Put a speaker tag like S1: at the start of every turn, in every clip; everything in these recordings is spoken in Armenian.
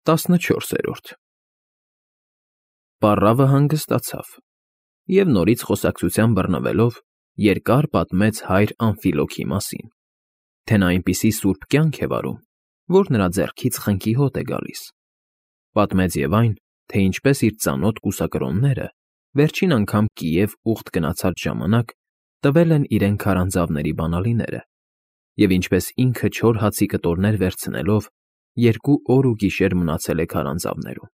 S1: 14-րդ Պառավը հանգստացավ և նորից խոսակցության բռնվելով երկար պատմեց հայր Ամֆիլոքի մասին, թե նա այնպիսի սուրբ կյանք է վարում, որ նրա ձեռքից խնկի հոտ է գալիս. պատմեց և այն, թե ինչպես իր ծանոթ կուսակրոնները վերջին անգամ Կիև ուխտ գնացած ժամանակ տվել են իրեն քարանձավների բանալիները և ինչպես ինքը չոր հացի կտորներ վերցնելով 2 օր ու գիշեր մնացել է քարանձավներում,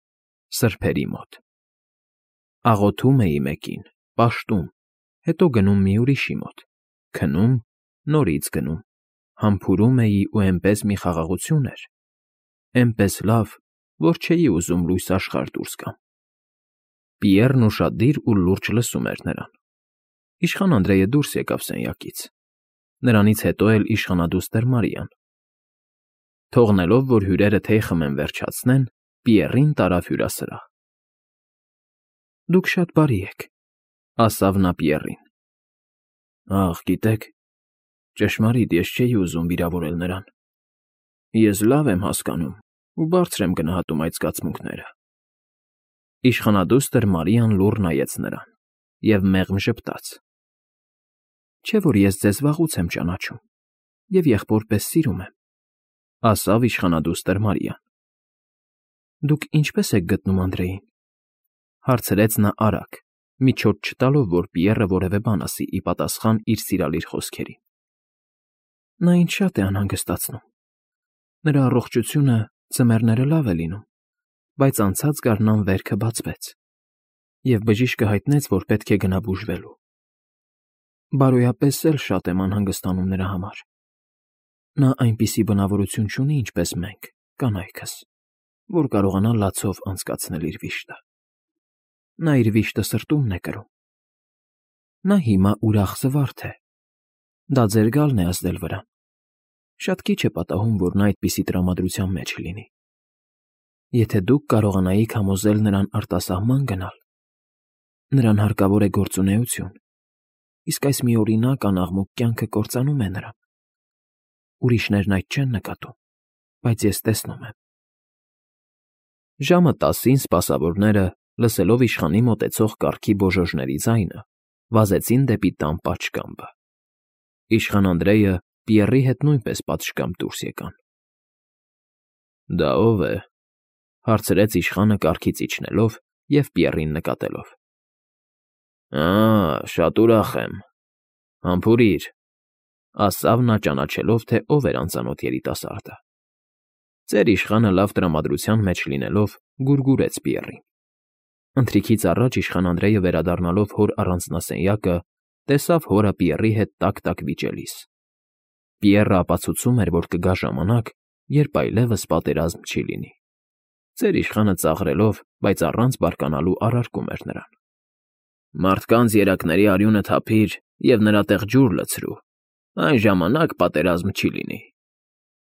S1: սրբերի մոտ. աղոթում էի մեկին, պաշտում, հետո գնում մի ուրիշի մոտ, քնում, նորից գնում, համբուրում էի ու էնպես մի խաղաղություն էր, էնպես լավ, որ չէի ուզում լույս աշխարհ դուրս գամ։ Պիեռն ուշադիր ու լուրջ լսում էր նրան։ Իշխան Անդրեյը դուրս եկավ սենյակից, նրանից հետո էլ իշխանադուստր Մարիան։ Թողնելով, որ հյուրերը թեյ խմեն վերջացնեն, Պիեռին տարավ հյուրասրահ։ Դուք շատ բարի եք, ասավ նա Պիեռին։ Ախ, գիտեք, ճշմարիտ ես չէի ուզում վիրավորել նրան։ Ես լավ եմ հասկանում ու բարձր եմ գնահատում այդ զգացմունքները։ Իշխանադուստր Մարիան լուռ նայեց նրան և մեղմ ժպտաց։ Չէ՞ որ ես ձեզ վաղուց եմ ճանաչում և եղբոր պես սիրում եմ, ասավ իշխանադուստր Մարիան։ Դուք ինչպե՞ս եք գտնում Անդրեին, հարցրեց նա արագ, միջոց չտալով, որ Պիեռը որևէ բան ասի ի պատասխան իր սիրալիր խոսքերին։ Նա ինձ շատ է անհանգստացնում։ Նրա առողջությունը ձմեռները լավ է լինում, բայց անցած գարնան վերքը բացվեց, և բժիշկը հայտնեց, որ պետք է գնա բուժվելու։ Բարոյապես էլ շատ եմ անհանգստանում նրա համար։ Նա այնպիսի բնավորություն չունի, ինչպես մենք, կանայքս, որ կարողանա լացով անցկացնել իր վիշտը։ Նա իր վիշտը սրտումն է կրում։ Նա հիմա ուրախ զվարթ է։ Դա ձեր գալն է ազդել վրան։ Շատ քիչ է պատահում, որ նա այդպիսի տրամադրության մեջ լինի։ Եթե դուք կարողանայիք համոզել նրան արտասահման գնալ, նրան հարկավոր է գործունեություն, իսկ այս միօրինակ անաղմուկ կյանքը կործանում է նրան։ Ուրիշներն այդ չեն նկատում, բայց ես տեսնում եմ։ Ժամը 10-ին սպասավորները, լսելով իշխանի մոտեցող կառքի բոժոժների ձայնը, վազեցին դեպի տան պատշգամբը։ Իշխան Անդրեյը Պիեռի հետ նույնպես պատշգամբ դուրս եկան։ Դա ո՞վ է, հարցրեց իշխանը կառքից իջնելով և Պիեռին նկատելով։ Շատ ուրախ եմ։ Համբուրիր, ասավ նա ճանաչելով, թե ով էր անծանոթ երիտասարդը։ Ձեր իշխանը լավ տրամադրության մեջ լինելով գուրգուրեց Պիեռին։ Ընթրիքից առաջ իշխան Անդրեյը վերադառնալով հոր առանձնասենյակը, տեսավ հորը Պիեռի հետ տակ վիճելիս։ Պիեռը ապացուցում էր, որ կգա ժամանակ, երբ այլևս պատերազմ չի լինի։ Ձեր իշխանը ծաղրելով, բայց առանց բարկանալու առարկում էր նրան։ Մարդկանց երակների արյունը թափիր և նրա տեղ ջուր լցրու, այն ժամանակ պատերազմ չի լինի։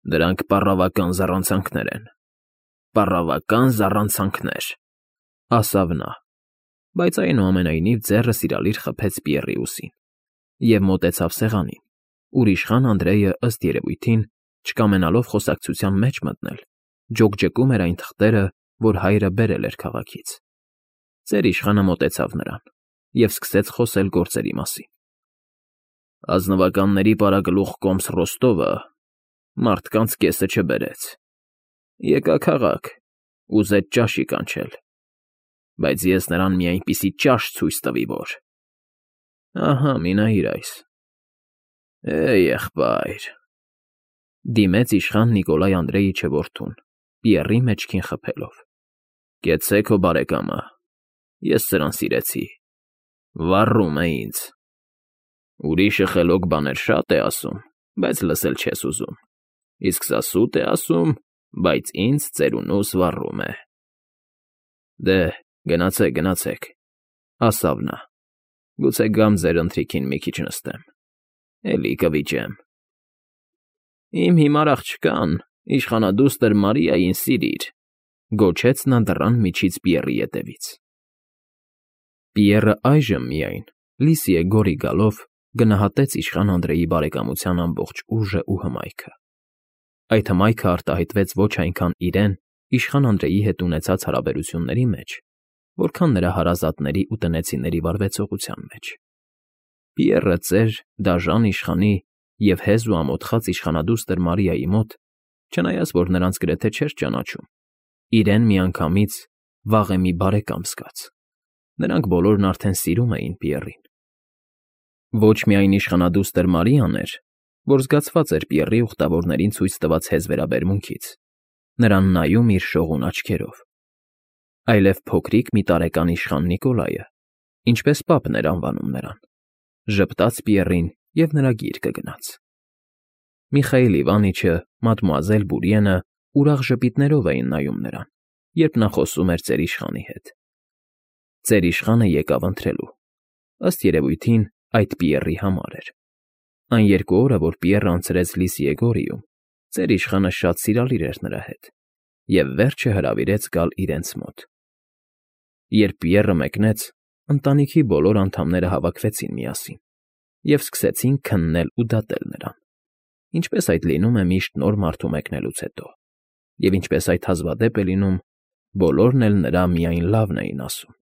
S1: Դրանք պառավական զառանցանքներ են։ Պառավական զառանցանքներ, ասավ նա, բայց այնուամենայնիվ ձեռը սիրալիր խփեց Պիեռի ուսին և մոտեցավ սեղանին, ուր իշխան Անդրեյը, ըստ երևույթին, չկամենալով խոսակցության մեջ մտնել, ջոկջկում էր այն թղթերը, որ հայրը բերել էր քաղաքից։ Ձեր իշխանը մոտեցավ նրան և սկսեց խոսել գործերի մասին։ Ազնվականների պարագլուխ կոմս Ռոստովը մարդկանց կեսը չբերեց։ Եկա քաղաք, ուզեց ճաշի կանչել, բայց ես նրան մի այնպիսի ճաշ ցույց տվի, որ… Ահա մի նայիր այս… Եղբայր… Դիմեց իշխան Նիկոլայ Անդրեյիչը որդուն, Պիեռի մեջքին խփելով։ Կեցցե քո բարեկամը, ես սրան սիրեցի, վառում է ինձ։ Ուրիշը խելոք բաներ շատ է ասում, բայց լսել չես ուզում, իսկ սա սուտ է ասում, բայց ինձ ծերունուս վառում է։ Դե, գնացեք, ասավ նա, գուցե գամ ձեր ընթրիքին մի քիչ նստեմ, էլի կվիճեմ։ Իմ հիմար աղջկան, իշխանադուստր Մարիային սիրիր, գոչեց նա դռան միջից Պիեռի ետևից։ Պիեռը այժմ միայն, լիսիե գորի գալով, գնահատեց իշխան Անդրեյի բարեկամության ամբողջ ուժն ու հմայքը։ Այդ հմայքը արտահայտվեց ոչ այնքան իրեն, իշխան Անդրեի հետ ունեցած հարաբերությունների մեջ, որքան նրա հարազատների ու տնեցիների վարվեցողության մեջ։ Պիեռը ծեր, դաժան իշխանի և հեզ ու ամոթխած իշխանադուստր Մարիայի մոտ, չնայած որ նրանց գրեթե չէր ճանաչում, իրեն միանգամից վաղեմի բարեկամ զգաց։ Նրանք բոլորն արդեն սիրում էին Պիեռին։ Ոչ միայն իշխանադուստր Մարիան էր, որ զգացված էր Պիեռի ուխտավորներին ցույց տված հեզ վերաբերմունքից, նրան նայում իր շողուն աչքերով, այլև փոքրիկ մի տարեկան իշխան Նիկոլայը, ինչպես պապն էր անվանում նրան, ժպտաց Պիեռին և նրա գիրկը գնաց։ Միխայիլ Իվանիչը, մադմուազել Բուրիենը ուրախ ժպիտներով էին նայում նրան, երբ նա խոսում էր ծերիշխանի հետ։ Ծերիշխանը եկավ ընթրելու։ Ըստ երևույթին, այդ Պիեռի համար էր։ Այն 2 օրը, որ Պիեռը անցրեց Լիսիեգորիում, ծերիշխանը շատ սիրալիր էր նրա հետ և վերջը հրավիրեց գալ իրենց մոտ։ Երբ Պիեռը մեկնեց, ընտանիքի բոլոր անդամները հավաքվեցին միասին և սկսեցին քննել ու դատել նրան, ինչպես այդ լինում է միշտ նոր մարդու մեկնելուց հետո, և ինչպես այդ հազվադեպ է լինում, բոլորն էլ նրա միայն լավն էին ասում։